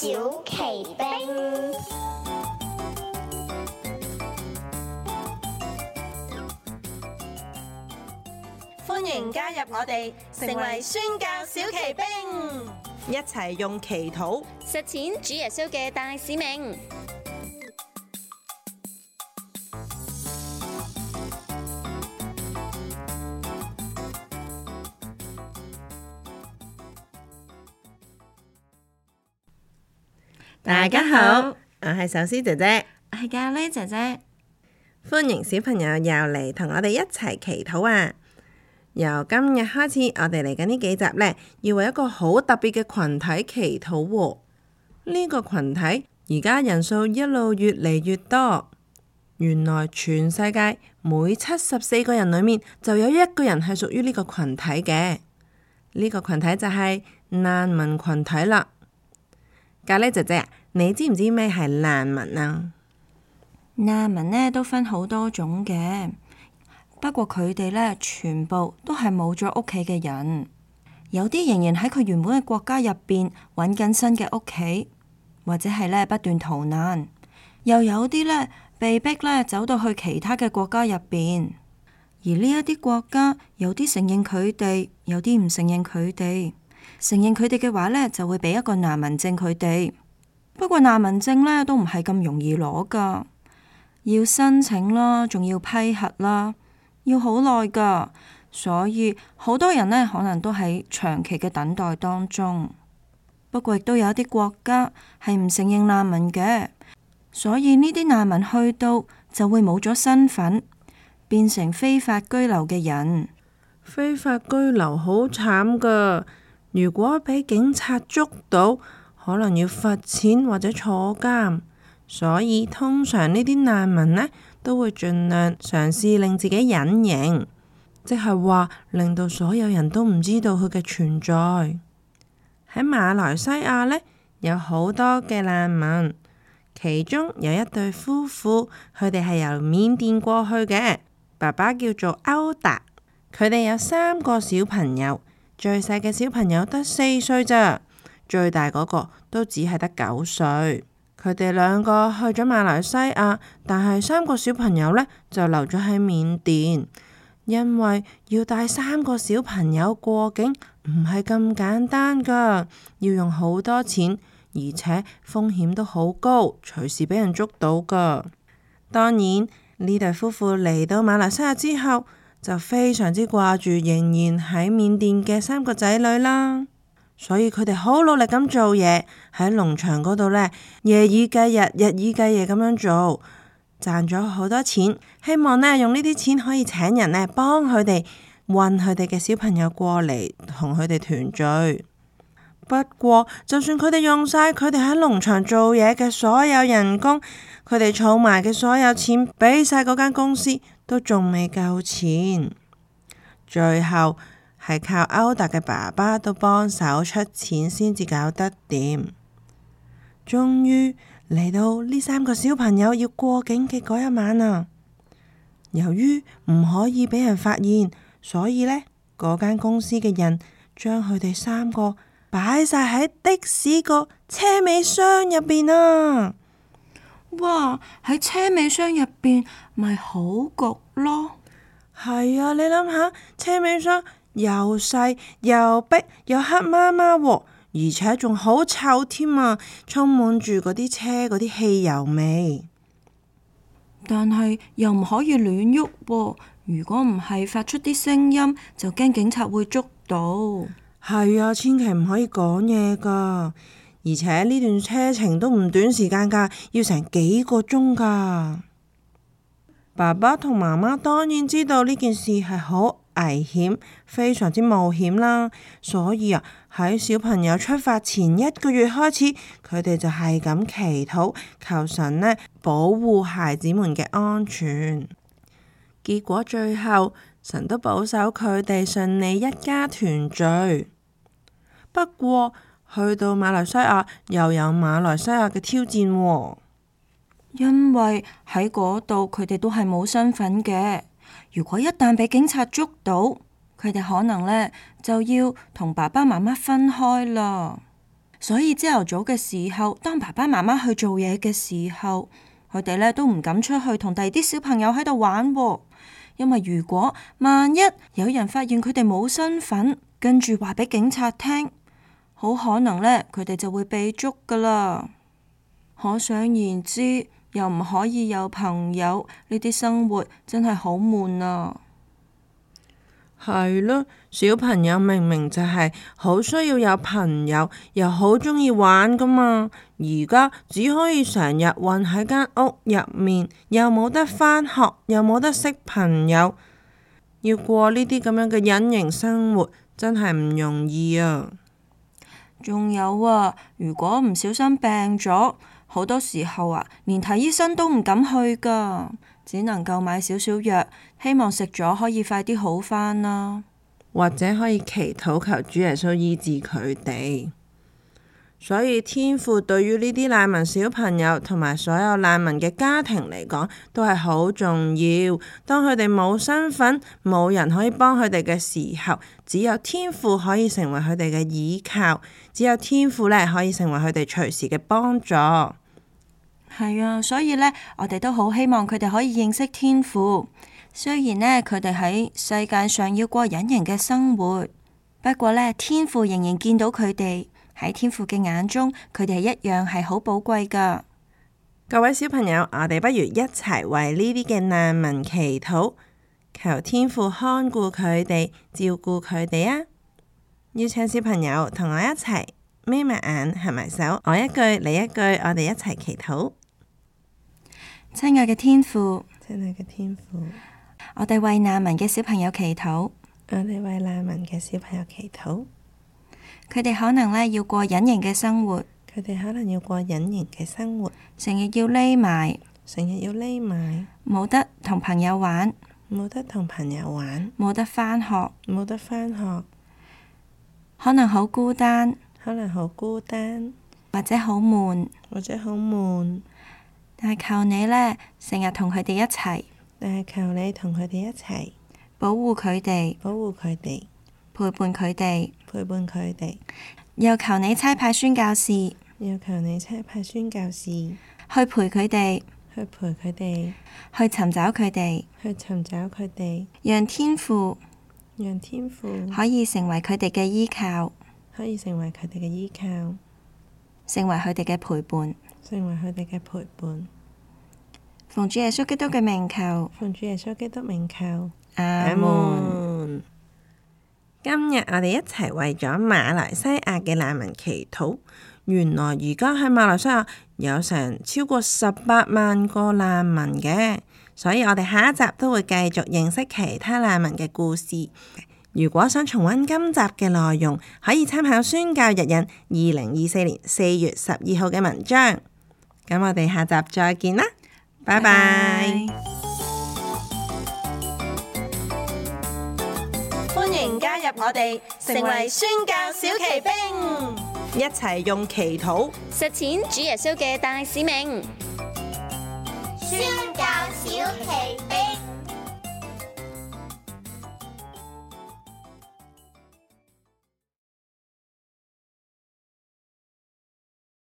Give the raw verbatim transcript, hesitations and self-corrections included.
小奇兵，歡迎加入我哋，成為宣教小奇兵，一齊用祈禱實踐主耶穌嘅大使命。大家好，我係壽司姐姐，我係咖喱姐姐。歡迎小朋友又嚟同我哋一齊祈禱啊！由今日開始，我哋嚟緊呢幾集呢，要為一個好特別嘅群體祈禱喎。呢個群體而家人數一路越嚟越多，原來全世界每七十四個人裏面就有一個人係屬於呢個群體嘅。呢個群體就係難民群體啦。咖喱姐姐，你知唔知咩係難民啊？難民呢都分好多種嘅，不過佢哋呢全部都係冇咗屋企嘅人，有啲仍然喺佢原本嘅國家入邊揾緊新嘅屋企，或者係呢不斷逃難，又有啲呢被逼呢走到去其他嘅國家入邊，而呢一啲國家有啲承認佢哋，有啲唔承認佢哋。承認佢哋嘅話呢，就會俾一個難民證佢哋。不過難民證呢，都唔係咁容易攞噶，要申請啦，仲要批核啦，要好耐噶。所以好多人呢，可能都喺長期嘅等待當中。不過亦都有一啲國家係唔承認難民嘅，所以呢啲難民去到就會冇咗身份，變成非法居留嘅人。非法居留好慘噶。如果俾警察捉到，可能要罰錢或者坐監，所以通常呢啲難民呢都會盡量嘗試令自己隱形，即係話令到所有人都唔知道佢嘅存在。喺馬來西亞呢，有好多嘅難民，其中有一對夫婦，佢哋係由緬甸過去嘅，爸爸叫做歐達，佢哋有三個小朋友。最細嘅小朋友得四歲咋，最大嗰個都只係得九歲。佢哋兩個去咗馬來西亞，但係三個小朋友呢就留咗喺緬甸，因為要帶三個小朋友過境唔係咁簡單噶，要用好多錢，而且風險都好高，隨時俾人捉到噶。當然呢對夫婦嚟到馬來西亞之後，就非常之掛住仍然喺緬甸嘅三個仔女啦，所以佢哋好努力咁做嘢，喺農場嗰度呢，夜以繼日，日以繼夜咁樣做，賺咗好多錢，希望呢用呢啲錢可以請人呢幫佢哋運佢哋嘅小朋友過嚟同佢哋團聚。不過就算佢哋用晒佢哋喺農場做嘢嘅所有人工，佢哋儲埋嘅所有錢俾晒嗰間公司，都仲未夠錢。最後係靠歐達嘅爸爸都幫手出錢先至搞得掂。終於嚟到呢三個小朋友要過境嘅嗰一晚啊！由於唔可以俾人發現，所以呢嗰間公司嘅人將佢哋三個擺晒喺的士個車尾箱入邊啊！哇！喺車尾箱入邊咪好焗咯。係啊，你諗下，車尾箱又細又逼又黑麻麻喎，而且仲好臭添啊，充滿住嗰啲車嗰啲汽油味。但係又唔可以亂喐喎，如果唔係發出啲聲音，就驚警察會捉到。係啊，千祈唔可以講嘢噶，而且呢段車程都唔短時間噶，要成幾個鐘噶。爸爸同媽媽當然知道呢件事係好危險，非常之冒險啦，所以啊喺小朋友出發前一個月開始，佢哋就係咁祈禱，求神呢保護孩子們嘅安全。結果最後神都保守佢哋順利一家團聚。不過去到馬來西亞又有馬來西亞嘅挑戰喎。因為喺嗰度佢哋都係冇身份嘅，如果一旦俾警察捉到，佢哋可能呢就要同爸爸媽媽分開啦。所以朝頭早嘅時候，當爸爸媽媽去做嘢嘅時候，佢哋咧都唔敢出去同第二啲小朋友喺度玩喎，因為如果萬一有人發現佢哋冇身份，跟住話俾警察聽，好可能咧佢哋就會被捉噶啦。可想而知，又唔可以有朋友，呢啲生活真係好悶啊！係咯，小朋友明明就係好需要有朋友，又好鍾意玩噶嘛。而家只可以成日困喺間屋入面，又冇得返學，又冇得識朋友，要過呢啲咁樣嘅隱形生活，真係唔容易啊！仲有啊，如果唔小心病咗，好多時候啊，連睇醫生都唔敢去噶，只能夠買少少藥，希望食咗可以快啲好返啦。或者可以祈禱求主耶穌醫治佢哋。所以天父對於呢啲難民小朋友同埋所有難民嘅家庭嚟講，都係好重要。當佢哋冇身份，冇人可以幫佢哋嘅時候，只有天父可以成為佢哋嘅依靠，只有天父呢可以成為佢哋隨時嘅幫助。係啊，所以呢，我哋都好希望佢哋可以認識天父。雖然呢，佢哋喺世界上要過隱形嘅生活，不過呢，天父仍然見到佢哋。喺天父嘅眼中，佢哋一樣係好寶貴㗎。各位小朋友，我哋不如一齊為呢啲嘅難民祈禱，求天父看顧佢哋，照顧佢哋啊！邀請小朋友同我一齊眯埋眼，合埋手，我一句你一句，我哋一齊祈禱。親愛嘅天父，親愛嘅天父，我哋為難民嘅小朋友祈禱，我哋為難民嘅小朋友祈禱。佢哋可能呢要過隱形嘅生活，佢哋可能要過隱形嘅生活，成日要匿埋，成日要匿埋，冇得同朋友玩，冇得同朋友玩，冇得返學，冇得返學，可能好孤單，可能好孤單，或者好悶，或者好悶。但係求你呢，成日同佢哋一齊，但係求你同佢哋一齊，保護佢哋，保護佢哋，陪伴佢哋，陪伴佢哋。又求你差派宣教士，又求你差派宣教士去陪佢哋，去陪佢哋，去尋找佢哋，去尋找佢哋，讓天父讓天父可以成為佢哋嘅依靠，可以成為佢哋嘅依靠，成為佢哋嘅陪伴，成為佢哋嘅陪伴。奉主耶穌基督嘅名求，奉主耶穌基督名求，阿門。今日我哋一齊為咗馬來西亞嘅難民祈禱。原來而家喺馬來西亞有成超過十八萬個難民嘅，所以我哋下一集都會繼續認識其他難民嘅故事。如果想重溫今集嘅內容，可以參考宣教日引二零二四年四月十二號嘅文章。咁我哋下集再見啦，拜拜。歡迎加入我哋，成為宣教小騎兵，一齊用祈禱實踐主耶穌嘅大使命。宣教小奇兵。